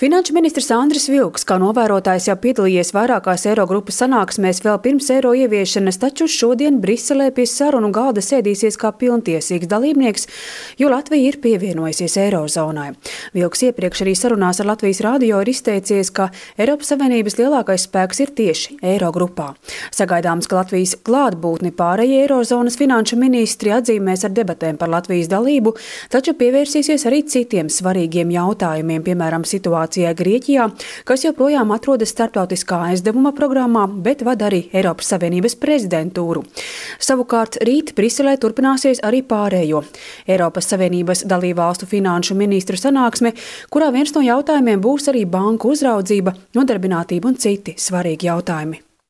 Finanšu ministrs Andris Vilks, kā novērotājs, jau piedalījies vairākās Eirogrupas sanāksmēs vēl pirms eiro ieviešanas, taču šodien Briselē pie sarunu galda sēdīsies kā pilntiesīgs dalībnieks, jo Latvija ir pievienojusies eirozonai. Vilks iepriekš arī sarunās ar Latvijas radio ir izteicies, ka Eiropas Savienības lielākais spēks ir tieši Eirogrupā. Sagaidāms, ka Latvijas klātbūtni pārējie eirozonas finanšu ministri atzīmēs ar debatēm par Latvijas dalību, taču pievērsīsies arī citiem svarīgiem jautājumiem, piemēram, situācijai Grieķijā, kas joprojām atrodas starptautiskā aizdevuma programmā, bet vada arī Eiropas Savienības prezidentūru. Savukārt rīt Briselē turpināsies arī pārējo Eiropas Savienības dalībvalstu finanšu ministru sanāksme, kurā viens no jautājumiem būs arī banku uzraudzība, nodarbinātība un citi svarīgi jautājumi.